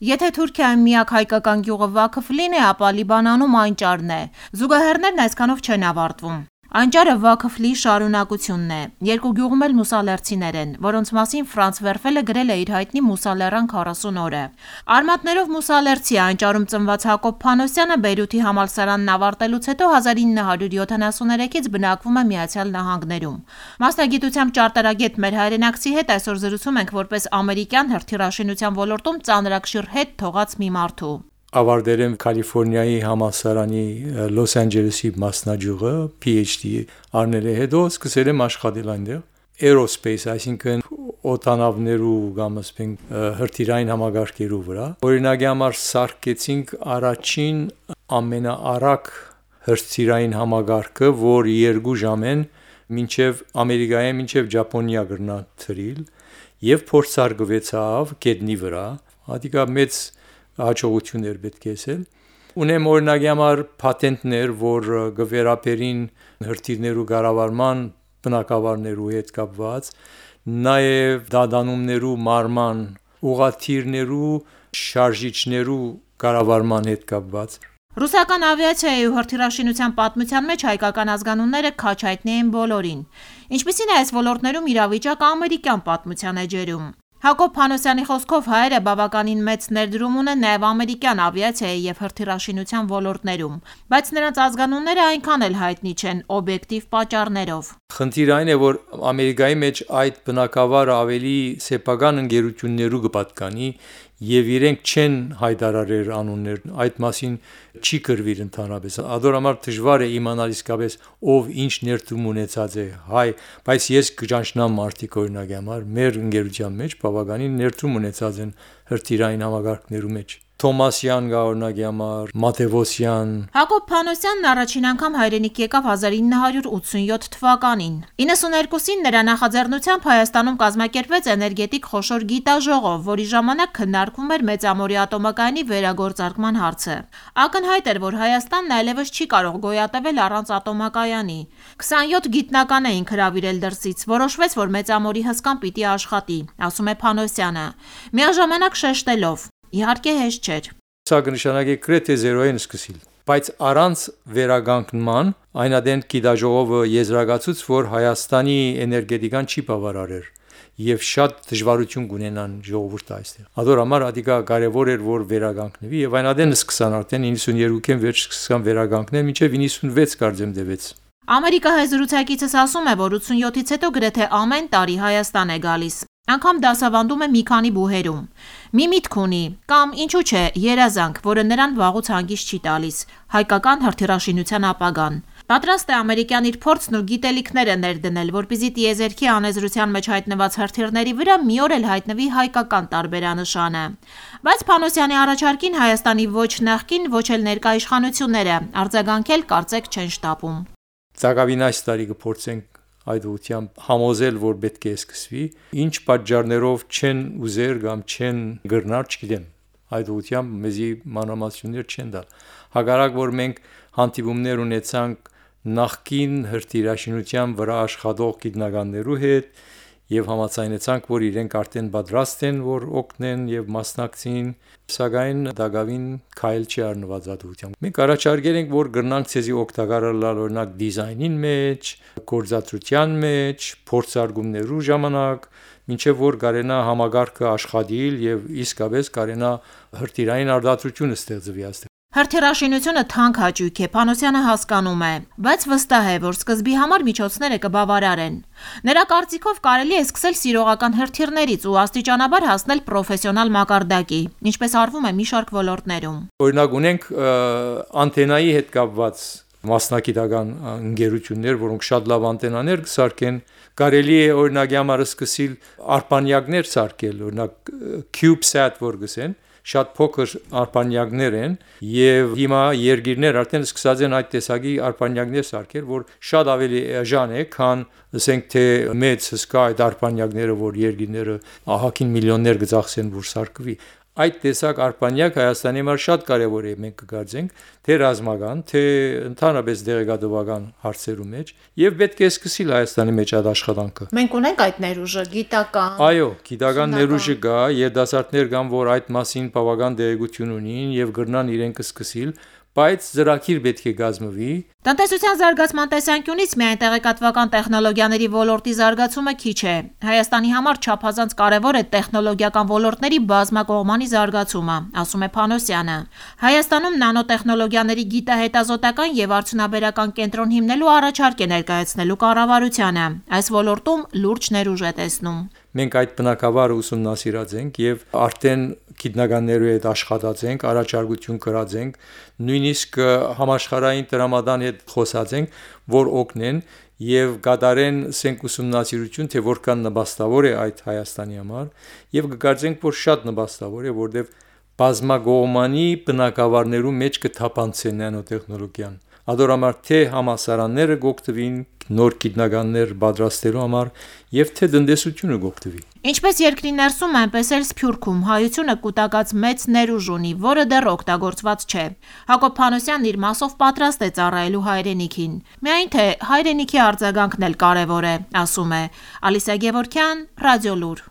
Եթե Թուրքիայում միակ հայկական գյուղը Վաքıfլին է, ապա Լիբանանում Անճարն է։ Զուգահեռներն այսքանով չեն ավարտվում։ Անճարը Վաքıfլի շարունակությունն է։ Երկու գյուղում էլ մուսալերցիներ են, որոնց մասին Ֆրանց Վերֆելը գրել է իր հայտնի Մուսալերան 40 օրը։ Արմատներով մուսալերցի Անճարում ծնված Հակոբ Փանոսյանը Բեյրութի համալսարանն ավարտելուց հետո 1973-ից բնակվում է Միացյալ Նահանգներում։ Մասնագիտությամբ ճարտարագետ մեր հայրենակցի հետ այսօր զրուցում ենք որպես ամերիկյան հրթիռաշինության ոլորտում ծանրակշիռ հետ թողած մի մարդու։ Ավարտել եմ Կալիֆոռնիայի համալսարանի Լոս Անջելեսի մասնաճյուղը, PhD առնել եմ, հետո սկսել եմ աշխատել այնտեղ aerospace, այսինքն օդանավներու կամ ասենք հրթիռային համակարգերու վրա։ Օրինակի համար սարքեցինք առաջին ամենաարագ հրթիռային համակարգը, որ 2 ժամեն մինչև Ամերիկայի մինչև Ճապոնիա գրնա թռիլ եւ փորձարկվեցավ գետնի վրա։ Հատիկա մեծ հաջողություններ պետք է ասել։ Ունեմ օրինակի համար պատենտներ, որ գվերապերին հրթիռներու կառավարման բնակավարներու հետ կապված, նաև դադանումներու մարման, ուղղաթիռներու շարժիչներու կառավարման հետ կապված։ Ռուսական ավիացիայի ու հրթիռաշինության պատմության մեջ հայկական ազգանունները քաչ հայտնի են բոլորին։ Ինչպիսին է այս ոլորտներում իրավիճակը ամերիկյան պատմության էջերում։ Հակոբ Փանոսյանի խոսքով հայերը բավականին մեծ ներդրում ունեն նաև ամերիկյան ավիացիայի եւ հրթիռաշինության ոլորտներում, բայց նրանց ազգանունները այնքան էլ հայտնի չեն օբյեկտիվ պատճառներով։ Խնդիրը այն է, որ Ամերիկայի մեջ այդ բնակավարը ավելի սեփական ընկերություններու կպատկանի եւ իրենք չեն հայտարարել անուններ, այդ մասին չի գրվիր ընդհանրապես։ Ադորամար դժվար է իմանալ իսկապես ով ինչ ներդրում ունեցած է հայ, բայց ես կճանչնամ մարդիկ օրինակի համար մեր ընկերության մեջ բավականին ներդրում ունեցած են հրթիռային համակարգներու մեջ։ Թոմասյան գա օրինակի համար, Մատևոսյան։ Հակոբ Փանոսյանն առաջին անգամ հայրենիք եկավ 1987 թվականին։ 92-ին նրա նախաձեռնությամբ Հայաստանում կազմակերպվեց էներգետիկ խոշոր գիտաժողով, որի ժամանակ քննարկվում էր Մեծամորի ատոմակայանի վերագործարկման հարցը։ Ակնհայտ էր, որ Հայաստանն այլևս չի կարող գոյատևել առանց ատոմակայանի։ 27 գիտնական էին հրավիրել դրսից, որոշվեց, որ Մեծամորի հսկան պիտի աշխատի, ասում է Փանոսյանը, միաժամանակ շեշտելով. Իհարկե հեշտ չէր։ Սա կնշանակի գրեթե զերոյեն սկսիլ, բայց առանց վերագանքման այնադեն գիտաժողովը եզրակացուց, որ Հայաստանի էներգետիկան չի բավարարեր եւ շատ դժվարություն կունենան ժողովուրդը այստեղ։ Ադորամար ադիկա կարևոր էր, որ վերագանքնվի եւ այնադեն սկսան արդեն 92-ին վերջ սկսան վերագանքնել, մինչեւ 96 կարծեմ դեվեց։ Ամերիկահայ զրուցակիցս ասում է, որ 87-ից հետո գրեթե ամեն տարի Հայաստան է գալիս։ Անգամ դասավանդում է մի քանի բուհերում։ Մի միտք ունի, կամ ինչու՞ չէ, երազանք, որը նրան վաղուց հանգիստ չի տալիս, հայկական հրթիռաշինության ապագան։ Պատրաստ է ամերիկյան իր փորձն ու գիտելիքները ներդնել, որպեսզի տիեզերքի անեզրության մեջ հայտնված հրթիռների վրա մի օր էլ հայտնվի հայկական տարբերանշանը։ Բայց Փանոսյանի առաջարկին Հայաստանի ոչ նախկին, ոչ էլ ներկա իշխանությունները արձագանքել կարծեք չեն շտապում։ Ցակավին այս տարի կփորձենք այդ ուղղությամբ համոզել, որ պետք է սկսվի, ինչ պատճառներով չեն ուզեր կամ չեն գրնար, չգիտեմ, այդ ուղղությամբ մեզի մանրամասնություններ չեն տալ։ Հակառակ որ մենք հանդիպումներ ունեցանք նախկին հրթիռաշինության վրա աշխատող գիտնականներու հետ եւ համաձայնեցանք, որ իրենք արդեն պատրաստ են, որ օգնեն եւ մասնակցին, սակայն դակավին քայլ չի առնված այդ ուղղությամբ։ Մենք առաջարկել ենք, որ գրնանք ցեզի օգտակարել օրինակ դիզայնին մեջ, գործածության մեջ, փորձարկումներու ժամանակ, մինչև որ կարենա համագարկը աշխատիլ եւ իսկապես կարենա հրթիռային արտադրությունը ստեղծվի այստեղ։ Հրթիռաշինությունը թանկ հաճույք է, Փանոսյանը հասկանում է, բայց վստահ է, որ սկզբի համար միջոցները կբավարարեն։ Նրա կարծիքով կարելի է սկսել սիրողական հրթիռներից ու աստիճանաբար հասնել պրոֆեսիոնալ մակարդակի, ինչպես արվում է մի շարք ոլորտներում։ Օրինակ ունենք անտենայի հետ կապված մասնակիտական ընկերություններ, որոնք շատ լավ անտենաներ կսարքեն, կարելի է օրինակի համար սկսել արբանյակներ սարքել, օրինակ CubeSat որ գսեն, շատ փոքր արբանյակներ են եւ հիմա երկիրներ արդեն սկսած են այդ տեսակի արբանյակներ սարքել, որ շատ ավելի էժան է, քան ասենք թե մեծ հսկա այդ արբանյակները, որ երկիրները ահագին միլիոններ կծախսեն, որ սարքվի։ այդ տեսակ արբանյակ Հայաստանի համար շատ կարևոր է, մենք կգարձենք թե ռազմական, թե ընդհանրապես դեղեկատվական հարցերու մեջ, եւ պետք է սկսել Հայաստանի մեջ այդ աշխատանքը։ Մենք ունենք այդ ներուժը, գիտական։ Այո, գիտական ներուժը կա, երիտասարդներ կան, որ այդ մասին բավական դերակցություն ունին եւ գրնան իրենք սկսել, բայց ծրագիր պետք է կազմվի։ Տնտեսության զարգացման տեսանկյունից միայն տեղեկատվական տեխնոլոգիաների ոլորտի զարգացումը քիչ է։ Հայաստանի համար չափազանց կարևոր է տեխնոլոգիական ոլորտների բազմակողմանի զարգացումը, ասում է Փանոսյանը։ Հայաստանում նանոտեխնոլոգիաների գիտահետազոտական եւ արդյունաբերական կենտրոն հիմնելու առաջարկ է ներկայացնելու կառավարությանը։ Այս ոլորտում լուրջ ներուժ է տեսնում։ Մենք այդ բնակավարը ուսումնասիրած ենք եւ արդեն գիտնականներու հետ աշխատած ենք, առաջարկություն կրած ենք, նույնիսկ համաշխարհային տրամադան հետ խոսած ենք, որ օգնեն եւ կատարեն սենք ուսումնասիրություն, թե որքան նպաստավոր է այդ Հայաստանի համար եւ կգարձենք, որ շատ նպաստավոր է, որտեւ բազմակողմանի բնակավարներու մեջ կթափանցեն նանոտեխնոլոգիան։ Ադորամար թե համասարանները գոկտվին նոր գիտնականներ պատրաստելու համար եւ թե տնտեսությունը գոկտվի։ Ինչպես երկրի ներսում, այնպես էլ Սփյուռքում հայությունը կուտակած մեծ ներուժ ունի, որը դեռ օգտագործված չէ։ Հակոբ Փանոսյանն իր մասով պատրաստ է ծառայելու հայրենիքին։ Միայն թե հայրենիքի արձագանքն էլ կարևոր է, ասում է։ Ալիսա Գևորգյան, Ռադիոլուր։